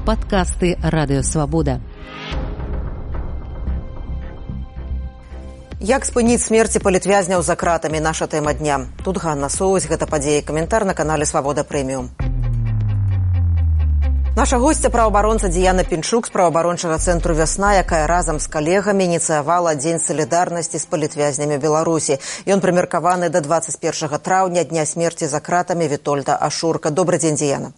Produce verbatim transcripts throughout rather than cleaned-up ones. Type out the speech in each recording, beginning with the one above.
Падкасты Радыёвабода. Як спыніць смерці палітвязняў за кратамі? Наша тэма дня. Тут Ганна Соусь, гэта падзеі. Каментар на канале Свабода Прэміум. Наша госця праваабаронца Дыяна Пінчук з праваабарончага цэнтру «Вясна», якая разам з калегамі ініцыявала Дзень салідарнасці з палітвязнямі Беларусі. Ён прымеркаваны да дваццаць першага траўня, дня смерці за кратамі Вітольда Ашурка. Добрый дзень, Дыяна.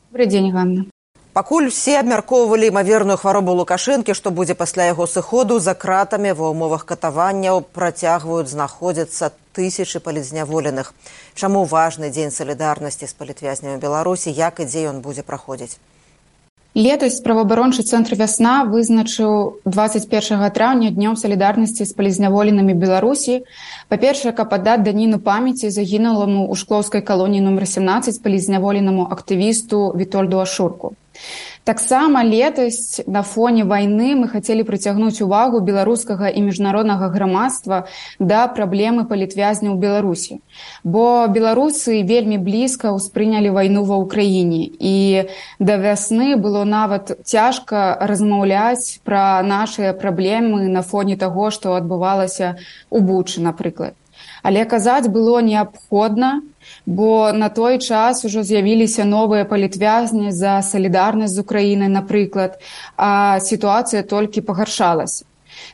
Добрый дзень, Ганна. Пакуль усе абмяркоўвалі імаверную хваробу Лукашэнкі, што будзе пасля яго сыходу, за кратамі ва ўмовах катаванняў працягваюць знаходзіцца тысячы палітзняволеных. Чаму важны дзень салідарнасці з палітвязнямі Беларусі, як і дзе ён будзе праходзіць? Летась праваабарончы цэнтр «Вясна» вызначыў дваццаць першага траўня днём салідарнасці з палітзняволенымі Беларусі. Па-першае, каб аддаць даніну памяці загінуламу ў шклоўскай калоніі нумар сямнаццаць палітзняволенаму актывісту Вітольду Ашурку. Таксама летась на фоне вайны мы хацелі прыцягнуць увагу беларускага і міжнароднага грамадства да праблемы палітвязняў у Беларусі. Бо беларусы вельмі блізка ўспрынялі вайну ва ўкраіне. І да вясны было нават цяжка размаўляць пра нашыя праблемы на фоне таго, што адбывалася ў Бучы, напрыклад. Але казаць было неабходна, бо на той час ужо з'явіліся новыя палітвязні за салідарнасць з Украінай, напрыклад, а сітуацыя толькі пагаршалася.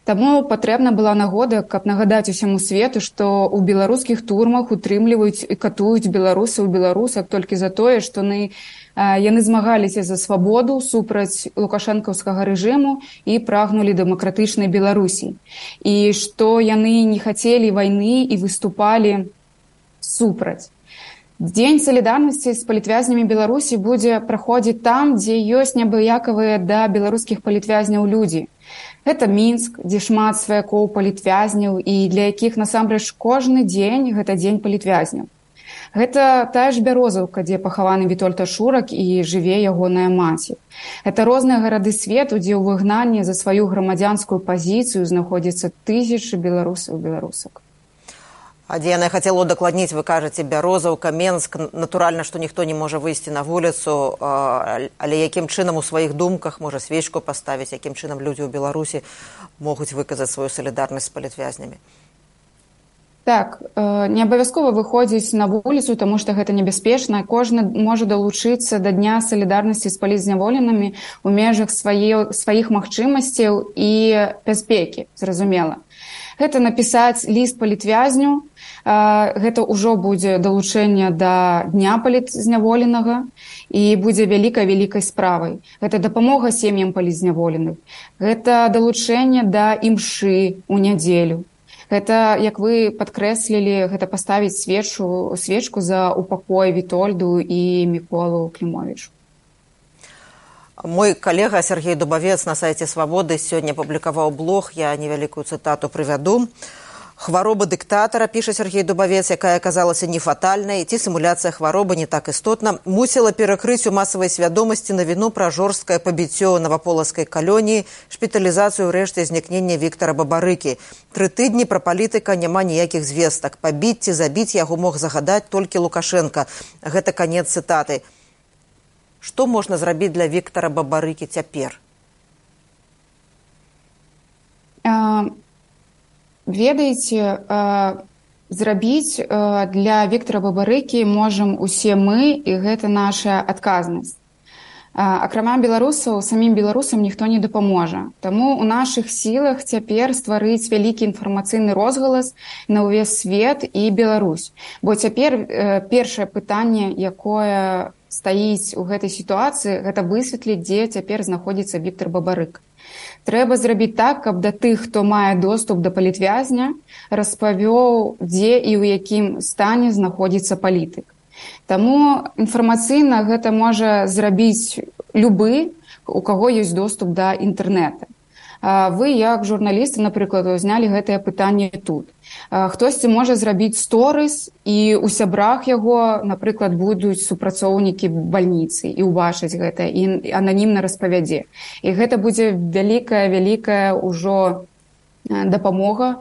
Таму патрэбна была нагода, каб нагадаць усяму свету, што ў беларускіх турмах утрымліваюць і катуюць беларусаў, беларусак толькі за тое, што яны, яны змагаліся за свабоду супраць лукашэнкаўскага рэжыму і прагнулі дэмакратычнай Беларусі. І што яны не хацелі вайны і выступалі супраць. Дзень салідарнасці з палітвязнямі Беларусі будзе праходзіць там, дзе ёсць неабыякавыя да беларускіх палітвязняў людзі. Гэта Мінск, дзе шмат сваякоў палітвязняў і для якіх насамрэч кожны дзень гэта дзень палітвязняў. Гэта тая ж Бярозаўка, дзе пахаваны Вітольд Ашурак і жыве ягоная маці. Гэта розныя гарады свету, дзе ў выгнанні за сваю грамадзянскую пазіцыю знаходзяцца тысячы беларусаў і беларусак. А Дыяна, я хацела удакладніць, вы кажаце, Бярозаўка, Менск, натуральна, што ніхто не можа выйсці на вуліцу, але якім чынам у сваіх думках можа свечку паставіць, якім чынам людзі ў Беларусі могуць выказаць сваю салідарнасць з палітвязнямі? Так, не абавязкова выходзіць на вуліцу, таму што гэта небяспечна. Кожны можа далучыцца да дня салідарнасці з палітзняволенымі ў межах сваіх магчымасцяў і бяспекі, зразумела. Гэта напісаць ліст палітвязню, гэта ўжо будзе далучэнне да дня палітзняволенага і будзе вялікай-вялікай справай. Гэта дапамога сем'ям палітзняволеных. Гэта далучэнне да імшы ў нядзелю. Гэта, як вы падкрэслілі, гэта паставіць свечу, свечку за упакой Вітольду і Міколу Клімовічу. Мой калега Сергей Дубавец на сайце «Свабоды» сёння публікаваў блог, я невялікую цытату прывяду. Хвароба дыктатара, піша Сергей Дубавец, якая аказалася не фатальнай, ці сімуляцыя хваробы не так істотна, мусіла перакрыць у масавай свядомасці навіну пра жорсткае пабіццё наваполацкай калоніі, шпіталізацыю рэшты знікнення Віктара Бабарыкі. Тры тыдні пра палітыка няма ніякіх звестак. Пабіць ці забіць яго мог загадаць толькі Лукашэнка. Гэта канец цытаты. Што можна зрабіць для Віктара Бабарыкі цяпер? А, ведаеце, а, зрабіць а, для Віктара Бабарыкі можам усе мы, і гэта наша адказнасць. А, акрамя беларусаў, самім беларусам ніхто не дапаможа. Таму ў нашых сілах цяпер стварыць вялікі інфармацыйны розгалас на ўвесь свет і Беларусь. Бо цяпер э, першае пытанне, якое стаіць у гэтай сітуацыі, гэта высветліць, дзе цяпер знаходзіцца Віктар Бабарык. Трэба зрабіць так, каб да тых, хто мае доступ да палітвязня, распавёў, дзе і ў якім стане знаходзіцца палітык. Таму інфармацыйна гэта можа зрабіць любы, у каго ёсць доступ да інтэрнэта. Вы, як журналісты, напрыклад, знялі гэтае пытанне тут. Хтосьці можа зрабіць сторыс, і ў сябрах яго, напрыклад, будуць супрацоўнікі бальніцы і ўбачыць гэта, і ананімна распавядзе. І гэта будзе вялікая-вялікая ўжо дапамога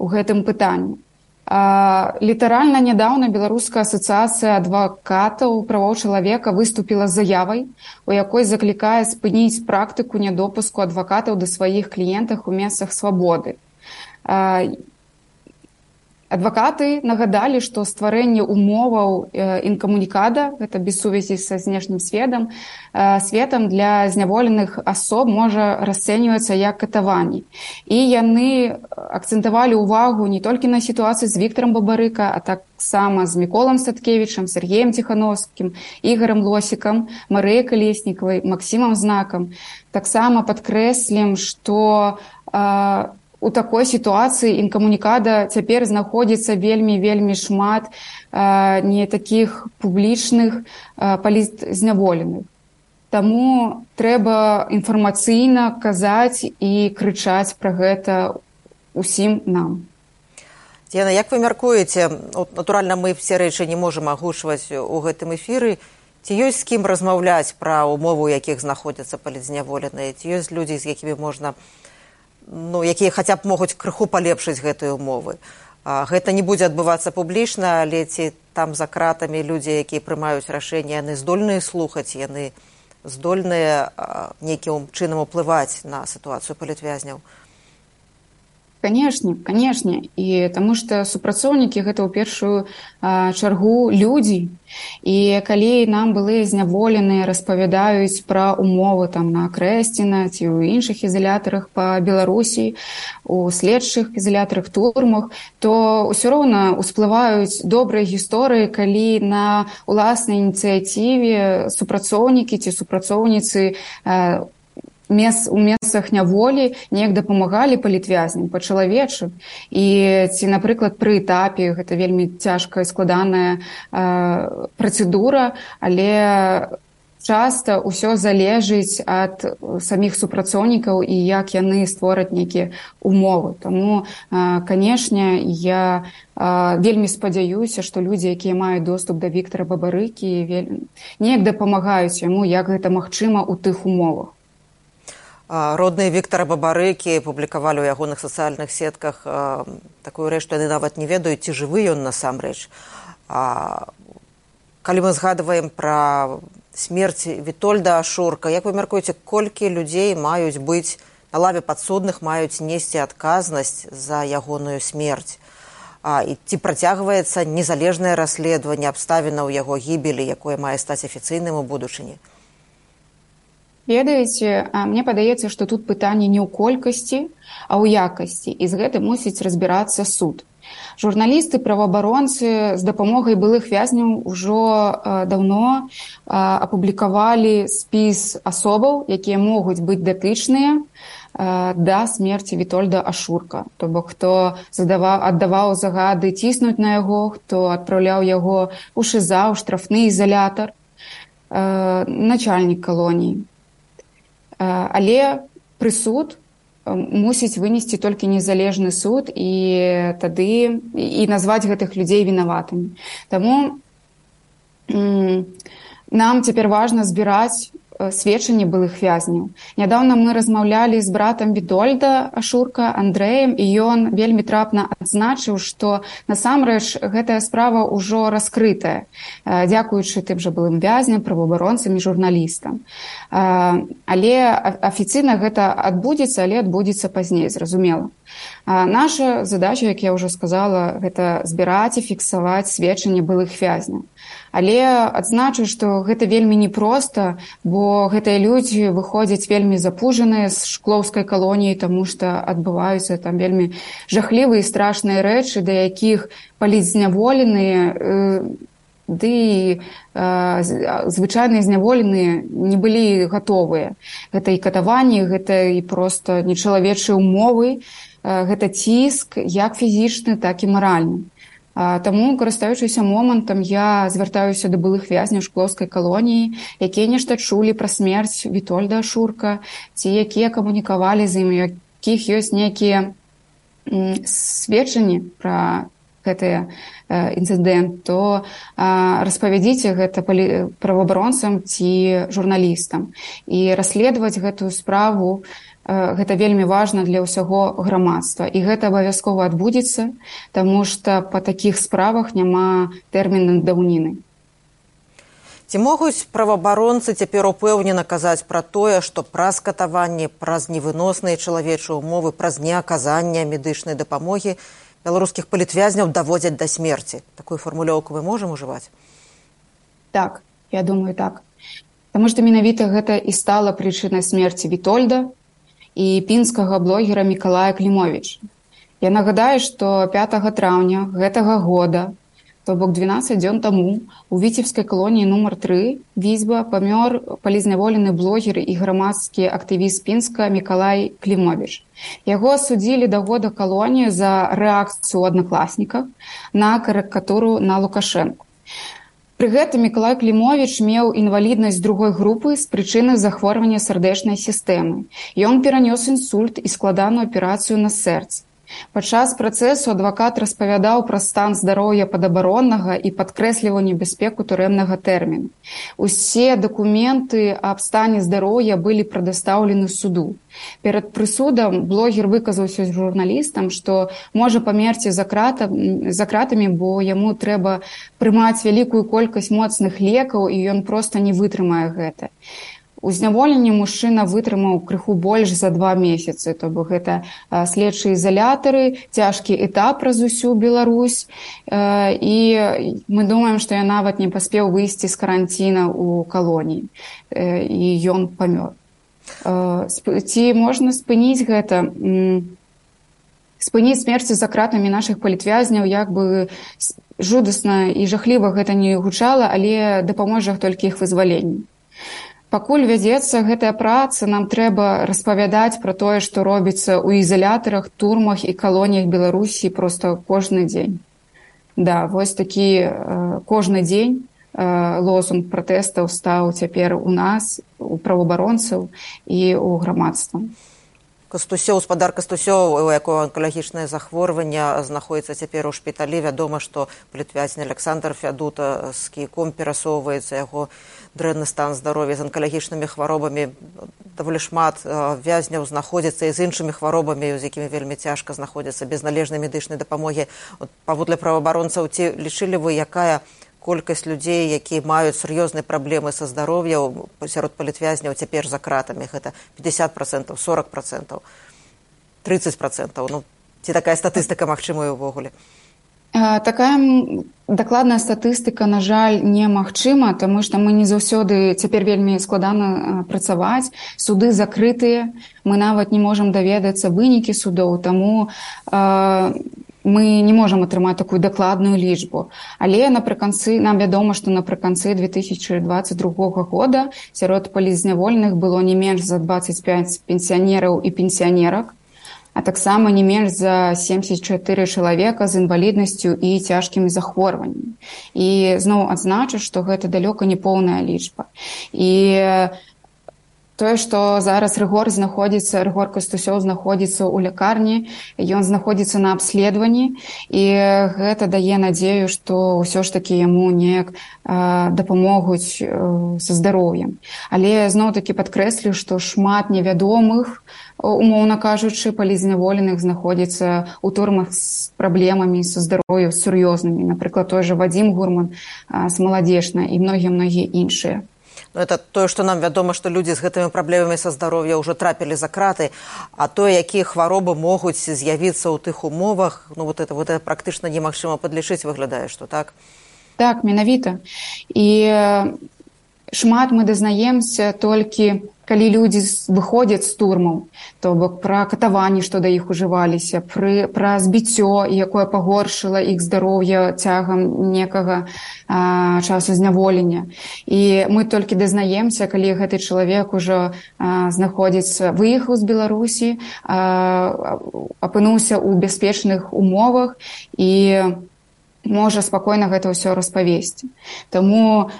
ў гэтым пытанні. Літаральна нядаўна Беларуская асацыяцыя адвакатаў правоў чалавека выступіла з заявай, у якой заклікае спыніць практыку нядопуску адвакатаў да сваіх кліентах у месцах свабоды. Адвакаты нагадалі, што стварэнне умоваў інкамунікада, гэта без сувязі са знешнім светам, светам для зняволеных асоб можа расцэньвацца як катаванні. І яны акцэнтавалі ўвагу не толькі на сітуацыі з Віктарам Бабарыка, а таксама з Міколам Садкевічам, Сергеем Ціхановскім, Ігорем Лосікам, Марыяй Калеснікавай, Максімам Знакам. Таксама падкрэслім, што у такой сітуацыі інкамунікада цяпер знаходзіцца вельмі-вельмі шмат э, не такіх публічных э, палітзняволеных. Таму трэба інфармацыйна казаць і крычаць пра гэта усім нам. Яна, як вы мяркуеце, натуральна, мы все рэчы не можам агучваць у гэтым эфіры, ці ёсць з кім размаўляць пра умовы, у якіх знаходзяцца палітзняволеныя, ці ёсць людзі, з якімі можна ну, якія хаця б могуць крыху палепшыць гэтыя умовы. А, гэта не будзе адбывацца публічна, але ці там за кратамі людзі, якія прымаюць рашэнні, яны здольныя слухаць, яны здольныя нейкім чынам уплываць на сітуацыю палітвязняў? Канешне, канешне. І таму што супрацоўнікі гэта ў першую а, чаргу людзі. І калі нам былыя зняволеныя распавядаюць пра умовы там на Крэсціна ці ў іншых ізалятарах па Беларусі, у следчых ізалятарах, турмах, то ўсё роўна усплываюць добрыя гісторыі, калі на ўласнай ініцыятыве супрацоўнікі ці супрацоўніцы а, Мес, у месцах няволі неяк дапамагалі палітвязням па-чалавечы. І ці, напрыклад, пры этапе, гэта вельмі цяжкая, складаная э, працэдура, але часта ўсё залежыць ад саміх супрацоўнікаў і як яны створаць нейкія умовы. Таму, э, канешне, я э, вельмі спадзяюся, што людзі, якія маюць доступ да Віктара Бабарыкі, вель... неяк дапамагаюць яму, як гэта магчыма ў тых умовах. Родныя Віктара Бабарыкі публікавалі ў ягоных сацыяльных сетках а, такую рэч, што яны нават не ведаюць, ці жывы ён насамрэч. А, калі мы згадваем пра смерць Вітольда Ашурка, як вы мяркуеце, колькі людзей маюць быць на лаве падсудных, маюць несці адказнасць за ягоную смерць? А, і ці працягваецца незалежнае расследаванне абставінаў яго гібелі, якое мае стаць афіцыйным у будучыні? Ведаеце, мне падаецца, што тут пытанне не ў колькасці, а ў якасці, і з гэтым мусіць разбірацца суд. Журналісты, праваабаронцы з дапамогай былых вязняў ужо э, даўно э, апублікавалі спіс асобаў, якія могуць быць датычныя э, да смерці Вітольда Ашурка. То бок, хто задаваў, аддаваў загады ціснуць на яго, хто адпраўляў яго ў ШИЗА, ў штрафны ізалятар, э, начальнік калоніі. Але прысуд мусіць вынесці толькі незалежны суд і тады і назваць гэтых людзей вінаватымі. Таму нам цяпер важна збіраць сведчанні былых вязняў. Нядаўна мы размаўлялі з братам Вітольда Ашурка, Андрэем, і ён вельмі трапна адзначыў, што насамрэч гэтая справа ўжо раскрытая, дзякуючы тым жа былым вязням, праваабаронцам і журналістам. Але афіцыйна гэта адбудзецца, але адбудзецца пазней, зразумела. Наша задача, як я ўжо сказала, гэта збіраць і фіксаваць сведчанні былых вязняў. Але адзначу, што гэта вельмі непроста, бо гэтыя людзі выходзяць вельмі запужаныя з шклоўскай калоніі, таму што адбываюцца там вельмі жахлівыя і страшныя рэчы, да якіх палітзняволеныя, ды і звычайныя зняволеныя не былі гатовыя. Гэта і катаванні, гэта і проста нечалавечыя умовы, гэта ціск як фізічны, так і маральны. Таму, карыстаючыся момантам, я звяртаюся да былых вязняў шклоўскай калоніі, якія нешта чулі пра смерць Вітольда Ашурка, ці якія камунікавалі з ім, якіх ёсць нейкія сведчанні пра гэты інцыдэнт, то распавядзіце гэта праваабаронцам ці журналістам. І расследаваць гэтую справу гэта вельмі важна для ўсяго грамадства. І гэта абавязкова адбудзецца, таму што па такіх справах няма тэрміну даўніны. Ці могуць праваабаронцы цяпер упэўнена казаць пра тое, што праз катаванні, праз невыносныя чалавечыя ўмовы, праз неаказанне медычнай дапамогі беларускіх палітвязняў даводзяць да смерці? Такую фармулёўку мы можам ужываць? Так, я думаю, так. Таму што менавіта гэта і стала прычынай смерці Вітольда і пінскага блогера Мікалая Клімовіча. Я нагадаю, што пятага траўня гэтага года, то бок дванаццаць дзён таму, у віцебскай калоніі нумар тры Візьба памёр палізняволены блогер і грамадскі актывіст Пінска Мікалай Клімовіч. Яго асудзілі да года калоніі за рэакцыю ў аднакласніках на карыкатуру на Лукашэнку. Пры гэтым Мікалай Клімовіч меў інваліднасць другой групы з прычыны захворвання сардэчнай сістэмы. Ён перанёс інсульт і складаную аперацыю на сэрцы. Падчас працэсу адвакат распавядаў пра стан здароўя падабароннага і падкрэсліваў небяспеку турэмнага тэрміну. Усе дакументы аб стане здароўя былі прадастаўлены суду. Перад прысудам блогер выказаўся з журналістам, што можа памерці за кратамі, бо яму трэба прымаць вялікую колькасць моцных лекаў, і ён проста не вытрымае гэта. У зняволенні мужчына вытрымаў крыху больш за два месяцы, то бок гэта следчыя ізалятары, цяжкі этап праз усю Беларусь, і мы думаем, што я нават не паспеў выйсці з каранціна ў калоніі, і ён памёр. Ці можна спыніць гэта? Спыніць смерці за кратамі нашых палітвязняў, як бы жудасна і жахліва гэта не гучала, але дапаможа толькі іх вызваленню. Пакуль вядзецца гэтая праца, нам трэба распавядаць пра тое, што робіцца ў ізалятарах, турмах і калоніях Беларусі проста кожны дзень. Да, вось такі кожны дзень лозунг пратэстаў стаў цяпер у нас, у праваабаронцаў і ў грамадства. Кастусёў, гаспадар Кастусёў, у якого онкалагічнае захворванне, знаходзіцца цяпер у шпіталі. Вядома, што палітвязень Александр Фядута з кійком перасоўваецца, яго дрэнны стан здароўя з онкалагічнымі хваробамі. Даволі шмат вязняў знаходзіцца і з іншымі хваробамі, з якімі вельмі цяжка знаходзіцца без належнай медычнай дапамогі. Паводле праваабаронцаў, ці лічылі вы, якая колькасць людзей, якія маюць сур'ёзныя праблемы са здароўем сярод палітвязняў цяпер за кратамі? Гэта пятьдесят процентов, сорок процентов, тридцать процентов. Ну, ці такая статыстыка магчымая ўвогуле? Такая дакладная статыстыка, на жаль, немагчыма, таму што мы не заўсёды цяпер вельмі складана працаваць. Суды закрытыя, мы нават не можам даведацца вынікі судоў, таму мы не можам атрымаць такую дакладную лічбу. Але напрыканцы, нам вядома, што напрыканцы две тысячи двадцать другога года сярод палізняволеных было не менш за двадцать пять пенсіянераў і пенсіянерак, а таксама не менш за семьдесят четыре чалавека з інваліднасцю і цяжкімі захворваннямі. І зноў адзначу, што гэта далёка не поўная лічба. І тое, што зараз Рыгор знаходзіцца, Рыгор Кастусёў знаходзіцца ў лякарні, ён знаходзіцца на абследаванні, і гэта дае надзею, што ўсё ж такі яму неяк дапамогуць са здароўем. Але зноў-такі падкрэслю, што шмат невядомых, умоўна кажучы, палізняволеных знаходзіцца ў турмах з праблемамі са здароўем сур'ёзнымі. Напрыклад, той жа Вадзім Гурман з Маладзечна і многія-многія іншыя. Ну, это тое, што нам вядома, што людзі з гэтымі праблемамі са здароўя ўжо трапілі за краты, а тое, якія хваробы могуць з'явіцца ў тых умовах, ну, вот это, вот это практычна немагчыма падлічыць, выглядае, што так? Так, менавіта. І шмат мы дазнаемся толькі, калі людзі выходзяць з турмаў, то бок пра катаванні, што да іх ужываліся, пры, пра збіццё, якое пагоршыла іх здароўе цягам некага а, часу зняволення. І мы толькі дазнаемся, калі гэты чалавек ужо а, знаходзіцца, выехаў з Беларусі, а, апынуўся ў бяспечных умовах і можа спакойна гэта ўсё распавесці. Таму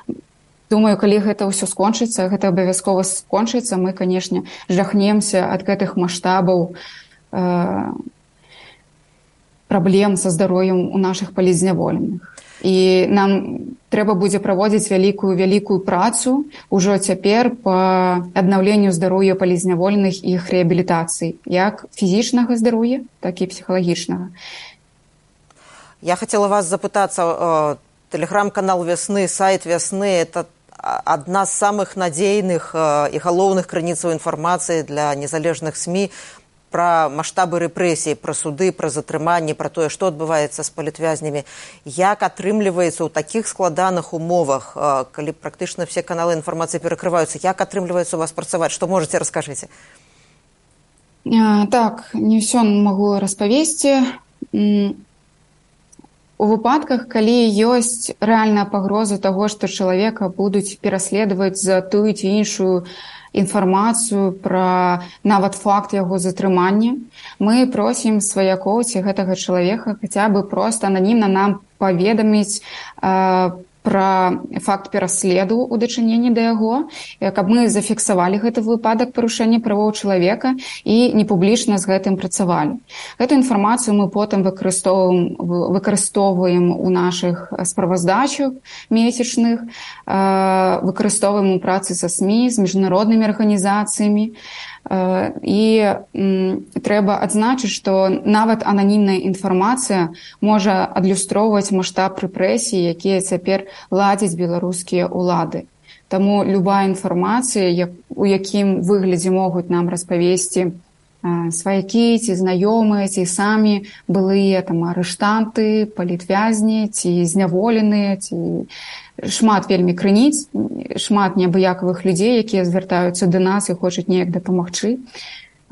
думаю, калі гэта ўсё скончыцца, гэта абавязкова скончыцца, мы, канешне, жахнемся ад гэтых маштабаў э, праблем са здароўем у нашых палізняволеных. І нам трэба будзе праводзіць вялікую вялікую працу ўжо цяпер па аднаўленню здароўя палізняволеных і іх рэабілітацыі, як фізічнага здароўя, так і псіхалагічнага. Я хотела вас запытаться, телеграм-канал «Весны», сайт «Весны» – это одна из самых надейных и галоўных крыніцаў информации для незалежных СМИ про масштабы рэпрэсій, про суды, про затрыманні, про тое, што адбываецца з палітвязнямі. Як атрымліваецца ў такіх складаных умовах, калі практычна все каналы інфармацыі перакрываюцца, як атрымліваецца у вас працаваць? Што можаце, раскажыце? Так, не ўсё магу распавесці. У выпадках, калі ёсць рэальная пагроза таго, што чалавека будуць пераследаваць за тую ці іншую інфармацыю пра нават факт яго затрымання, мы просім сваякоў ці гэтага чалавека хаця бы проста ананімна нам паведаміць э, пра факт пераследу ў дачыненні да яго, каб мы зафіксавалі гэты выпадак парушэння правоў чалавека і не публічна з гэтым працавалі. Гэту інфармацыю мы потым выкарыстоўваем, выкарыстоўваем у нашых справаздачах месячных, выкарыстоўваем у працы са СМІ, з міжнароднымі арганізацыямі. І трэба адзначыць, што нават ананімная інфармацыя можа адлюстроўваць маштаб рэпрэсій, якія цяпер ладзяць беларускія ўлады. Таму любая інфармацыя, у якім выглядзе могуць нам распавесці сваякі ці знаёмыя, ці самі былыя там арыштанты, палітвязні, ці зняволеныя, ці шмат вельмі крыніц, шмат неабыякавых людзей, якія звяртаюцца да нас і хочуць неяк дапамагчы.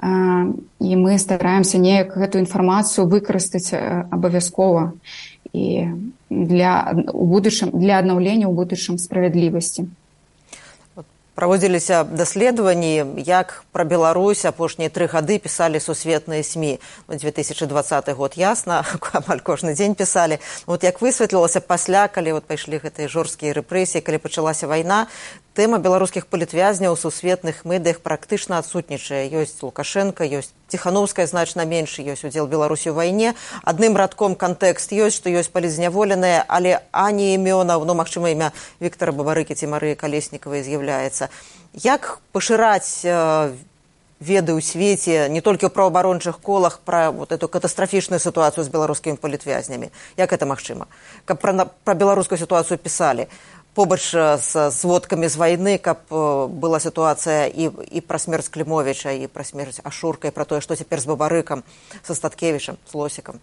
І мы стараемся неяк гэту інфармацыю выкарыстаць абавязкова і для, у будучым, для аднаўлення ў будучым справядлівасці. Праводзіліся даследаванні, як пра Беларусь апошнія тры гады пісалі сусветныя СМІ. две тысячи двадцаты год, ясна, амаль кожны дзень пісалі. Вот як высветлілася пасля, калі вот пайшлі гэтыя жорсткія рэпрэсіі, калі пачалася вайна, тэма беларускіх палітвязняў у сусветных медыях практычна адсутнічае. Ёсць Лукашенко, ёсць Ціхановская значна менш, ёсць удзел Беларусі ў вайне. Адным радком кантэкст ёсць, што ёсць палізняволеныя, але ані імёнаў, ну, магчыма, імя Віктара Бабарыкі ці Марыі Калеснікавай з'яўляецца. Як пашыраць э, веды ў свеце, не толькі ў праваабарончых колах, пра вот эту катастрафічную сітуацыю з беларускімі палітвязнямі? Як гэта магчыма? Каб пра, пра беларускую сітуацыю пісалі побач з зводкамі з вайны, каб была сітуацыя і, і пра смерць Клімовіча, і пра смерць Ашурка, і пра тое, што цяпер з Бабарыкам, са Статкевічам, з Лосікам.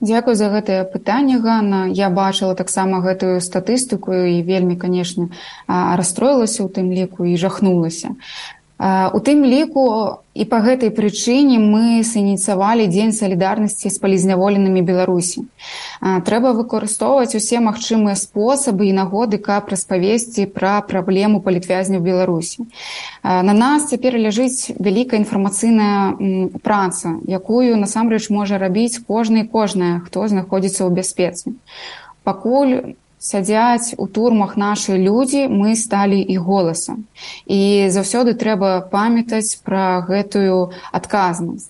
Дзякую за гэтае пытанне, Ганна. Я бачыла таксама гэтую статыстыку і вельмі, канешне, расстроілася ў тым ліку і жахнулася. У тым ліку і па гэтай прычыне мы сініцыявалі Дзень салідарнасці з палізняволенымі Беларусі. Трэба выкарыстоўваць усе магчымыя спосабы і нагоды, каб распавесці пра праблему палітвязняў Беларусі. На нас цяпер ляжыць вялікая інфармацыйная праца, якую насамрэч можа рабіць кожны і кожная, хто знаходзіцца ў бяспецы. Пакуль сядзяць у турмах нашы людзі, мы сталі іх голасам. І заўсёды трэба памятаць пра гэтую адказнасць,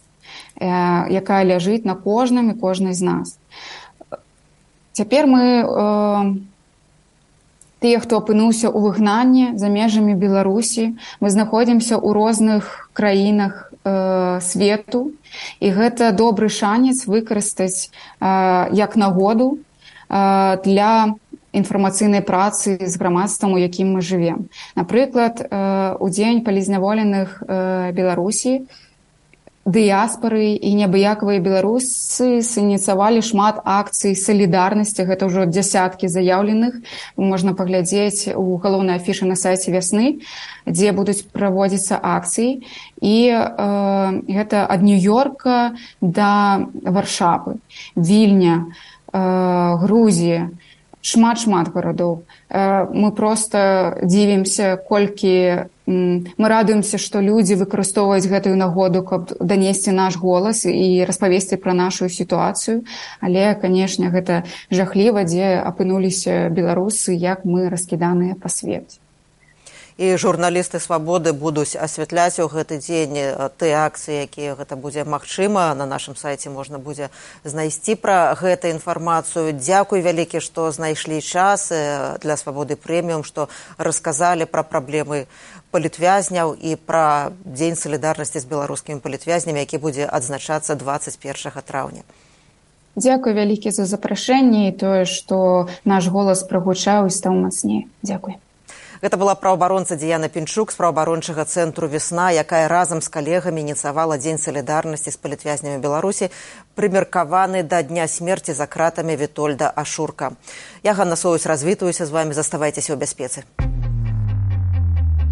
якая ляжыць на кожным і кожнай з нас. Цяпер мы, э, тыя, хто апынуўся ў выгнанні за межамі Беларусі, мы знаходзімся ў розных краінах э, свету, і гэта добры шанец выкарыстаць э, як нагоду э, для інфармацыйнай працы з грамадствам, у якім мы жывем. Напрыклад, у дзень палізняволеных Беларусі дыяспары і неабыякавыя беларусы сініцыявалі шмат акцый салідарнасці, гэта ўжо дзясяткі заяўленых. Можна паглядзець у галоўнай афішы на сайце «Вясны», дзе будуць праводзіцца акцыі. І э, гэта ад Нью-Йорка да Варшавы, Вільня, э, Грузія, шмат-шмат гарадоў. Мы проста дзівімся, колькі мы радуемся, што людзі выкарыстоўваюць гэтую нагоду, каб данесці наш голас і распавесці пра нашу сітуацыю. Але, канешне, гэта жахліва, дзе апынуліся беларусы, як мы раскіданыя па свеце. І журналісты «Свабоды» будуць асвятляць у гэты дзень тыя акцыі, якія гэта будзе магчыма. На нашым сайце можна будзе знайсці пра гэту інфармацыю. Дзякуй вялікі, што знайшлі час для «Свабоды прэміум», што расказалі пра праблемы палітвязняў і пра дзень салідарнасці з беларускімі палітвязнямі, які будзе адзначацца дваццаць першага траўня. Дзякуй вялікі за запрашэнне і тое, што наш голас прагучаў і стаў мацней. Дзякуй. Гэта была праўабаронца Дыяна Пінчук з праўабарончага цэнтру «Весна», якая разам з калегамі ініцыявала дзень салідарнасці з палітвязнямі Беларусі, прымеркаваны да дня смерці за кратамі Вітольда Ашурка. Я, Ганна Союз, развітваюся з вамі. Заставайцеся ў бяспецы.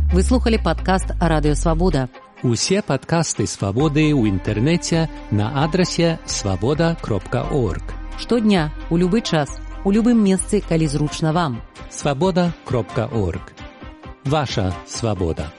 Вы слухали падкаст «Радыё Свабода». Усе падкасты «Свабоды» ў інтэрнэце на адрасе свабода кропка орг. Штодня, у любы час, у любым месцы, калі зручна вам. свабода кропка орг. Ваша свабода.